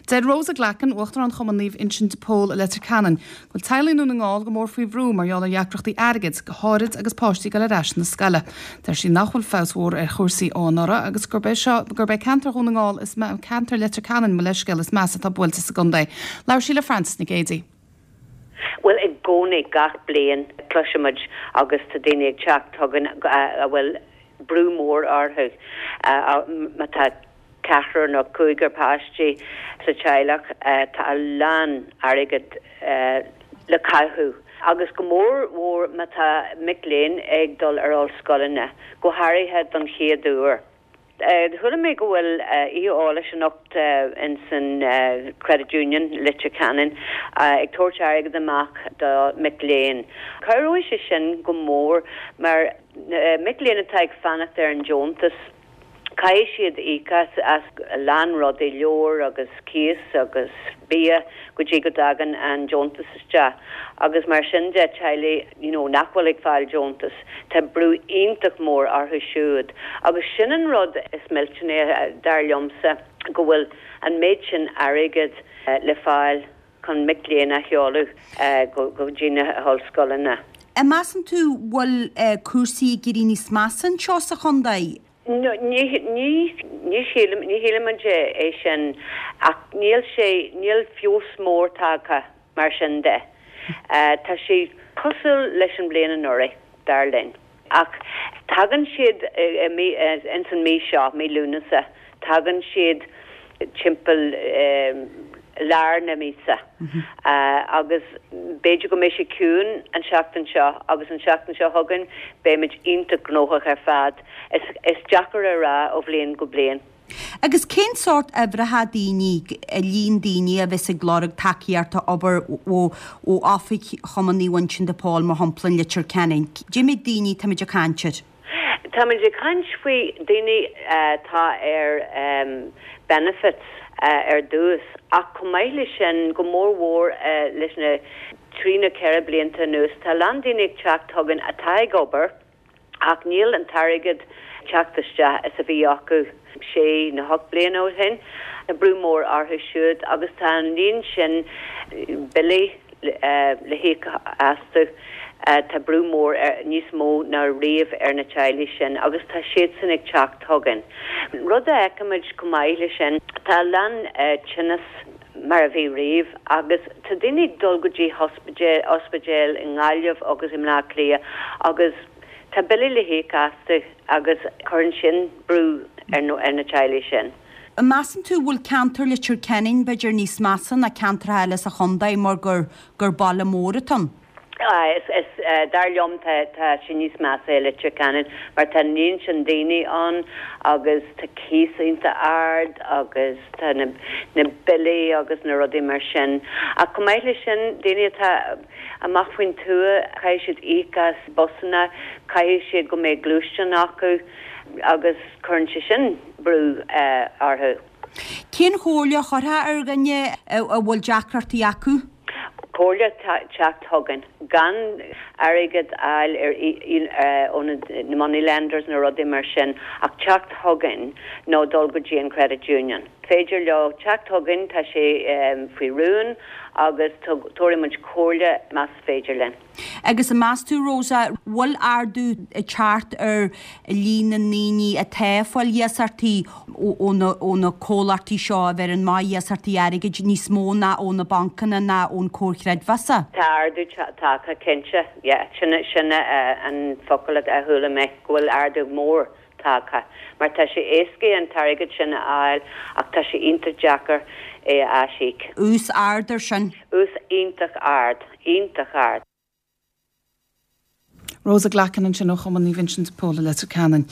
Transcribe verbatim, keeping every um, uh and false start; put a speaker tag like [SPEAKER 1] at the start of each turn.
[SPEAKER 1] Deir Rosa Glackin, Uachtarán Chumann Naomh Uinseann de Pól i Leitir Ceanainn, go bhfuil teaghlaigh i nDún na nGall go mór faoi bhrú mar gheall ar dheacrachtaí airgid, go háirid agus páistí ag dul ar ais na scoile. Deir sí nach bhfuil feabhas mhór ar chúrsaí ó anuraidh agus gurb é seo gurb é ceantar Dhún na nGall is ceantar Leitir Ceanainn mo leithscéal is measa atá buailte sa gcontae. Labhair sí le Frances Nic Géadaigh.
[SPEAKER 2] Well i gcónaí gach bliain cloisimid agus tá daoine ag teacht chugainn a bhfuil brú mór orthu má tá ceathrar nó cúigear páistí sa teaghlach tá a lán airgead le caitheamh. Agus go mór mhór má tá mic léinn ag dul ar ollscoileanna, go háirithe don chéad uair. Chuala mé go bhfuil oíche eolais anocht in san Credit Union Leitir Ceanainn ag tabhairt airgead amach do mic léinn. Cabhróidh sé sin go mór mar mic léinn atá ag fanacht ar an deontas. Caithfidh siad íoc as a lán rudaí leabhair agus cíos agus bia go dtí go dtagann an deontas isteach. agus mar sin de teaghlaigh you know, nach bhfuil ag fáil deontas, Tá brú iontach mór orthu siúd. agus sin an rud is millteanaí dar liomsa go bhfuil an méid sin airgead le fáil chun mic léinn a sheoladh go dtí na hollscoileanna.
[SPEAKER 3] An measann tú bhfuil cúrsaí ag éirí níos measa anseo sa chontae?
[SPEAKER 2] Ní ní shílimid é sin ach níl sé níl feabhas mór tagtha mar sin de. Tá sé cosúil leis an bhliain anuraidh dar linn. Ach tagann siad ins an mí seo mí Lúnasa, tagann siad timpeall lár na míosa agus b'fhéidir go mbeidh sé ciúin an seachtain seo agus an seachtain seo chugainn beimid iontach gnóthach ar fad. Is, is deacair a rá ó bhliain go bliain.
[SPEAKER 3] Agus cén sórt uimhreacha daoine líon daoine a bheas ag lorg tacaíocht obair ó ó oifig Chumann Naomh Uinseann de Pól mar shampla in Leitir Ceanainn. Cé mhéad daoine táimid ag caint air.
[SPEAKER 2] Táimid ag caint faoi daoine atá ar um, benefits uh, ar dtús ach chomh maith leis sin go mór mhór uh, leis na trí nó ceithre blianta anuas tá lán daoine ag teacht chugainn atá ag obair ach níl an t-airgead teacht isteach is a bhí acu sé nó ocht bliana ó shin tá brú mór orthu siúd agus tá an líon sin billí uh, le híoc astu uh, tá brú mór ar níos mó ná riamh ar na teaghlaigh sin agus tá siad sin ag teacht chugainn. Rud a fheicimid chomh maith leis sin tá lán uh, tinneas mar a bhí riamh agus tá daoine ag dul go dtí ospidéal i nGaillimh agus i mBaile Átha Cliath agus tá billí le híoc astu agus cuireann sin brú ar no ar na teaghlaigh sin.
[SPEAKER 3] Measann tú bhfuil ceantar Leitir Ceanainn b'fhéidir níos measa ná ceantar eile sa chontae mar gur gur baile mór atá ann.
[SPEAKER 2] Ah, is, is uh, dar liom tá tá sé níos measa Leitir Ceanainn mar tá líon sin daoine ann agus tá cíos iontach ard agus tá na, na billí agus na rudaí mar sin. Ach chomh maith leis sin daoine atá amach faoin tuath caithfidh siad íoc as busanna, caithfidh siad go mbeidh gluaisteán acu agus cuireann sé sin brú uh, orthu.
[SPEAKER 3] Cén chomhairle a chuirfeá ar dhuine a bhfuil deacrachtaí acu?
[SPEAKER 2] Comhairle teacht chugainn gan airgead a fháil ar ó na money lenders na rudaí mar sin ach teacht chugainn nó dul go dtí an credit union. Féidir leo teacht chugainn tá sé um, faoi rún agus tabharfaimid comhairle más féidir linn.
[SPEAKER 3] Agus an meas tú Rosa bhfuil ardú ag teacht ar líon na ndaoine atá ag fáil iasachtaí ó na comhlachtaí seo a bheireann amach iasachtaí airgid níos mó ná ó na bancanna ná ón comhar creidmheasa.
[SPEAKER 2] Tá ardú tagtha cinnte sin sin an focal a chuala mé go bhfuil ardú mór tagtha, mar tá sé éasca an t-airgead sin a fháil ach tá sé iontach deacair é a aisíoc.
[SPEAKER 3] Ús ard ar sin.
[SPEAKER 2] Ús iontach ard, iontach ard.
[SPEAKER 1] Rosa Glackin ansin ó Chumann Naomh Uinseann de Pól i Leitir Ceanainn.